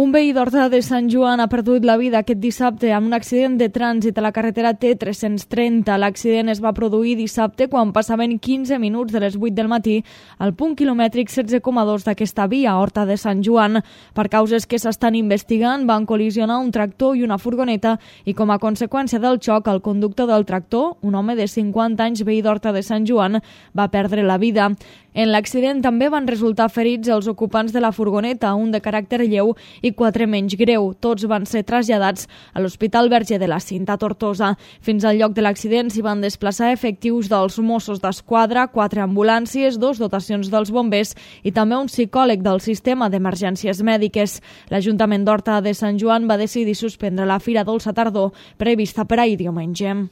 Un veí d'Horta de Sant Joan ha perdut la vida aquest dissabte en un accident de trànsit a la carretera T330. L'accident es va produir dissabte quan passaven 15 minuts de les 8 del matí al punt quilomètric 16,2 d'aquesta via, Horta de Sant Joan. Per causes que s'estan investigant, van col·lisionar un tractor i una furgoneta i com a conseqüència del xoc, el conductor del tractor, un home de 50 anys veí d'Horta de Sant Joan, va perdre la vida. En l'accident també van resultar ferits els ocupants de la furgoneta, un de caràcter lleu i 4 menys greu. Tots van ser traslladats a l'Hospital Verge de la Cinta, Tortosa. Fins al lloc de l'accident s'hi van desplaçar efectius dels Mossos d'Esquadra, 4 ambulàncies, 2 dotacions dels bombers i també un psicòleg del sistema d'emergències mèdiques. L'Ajuntament d'Horta de Sant Joan va decidir suspendre la Fira Dolça Tardor prevista per ahir diumenge.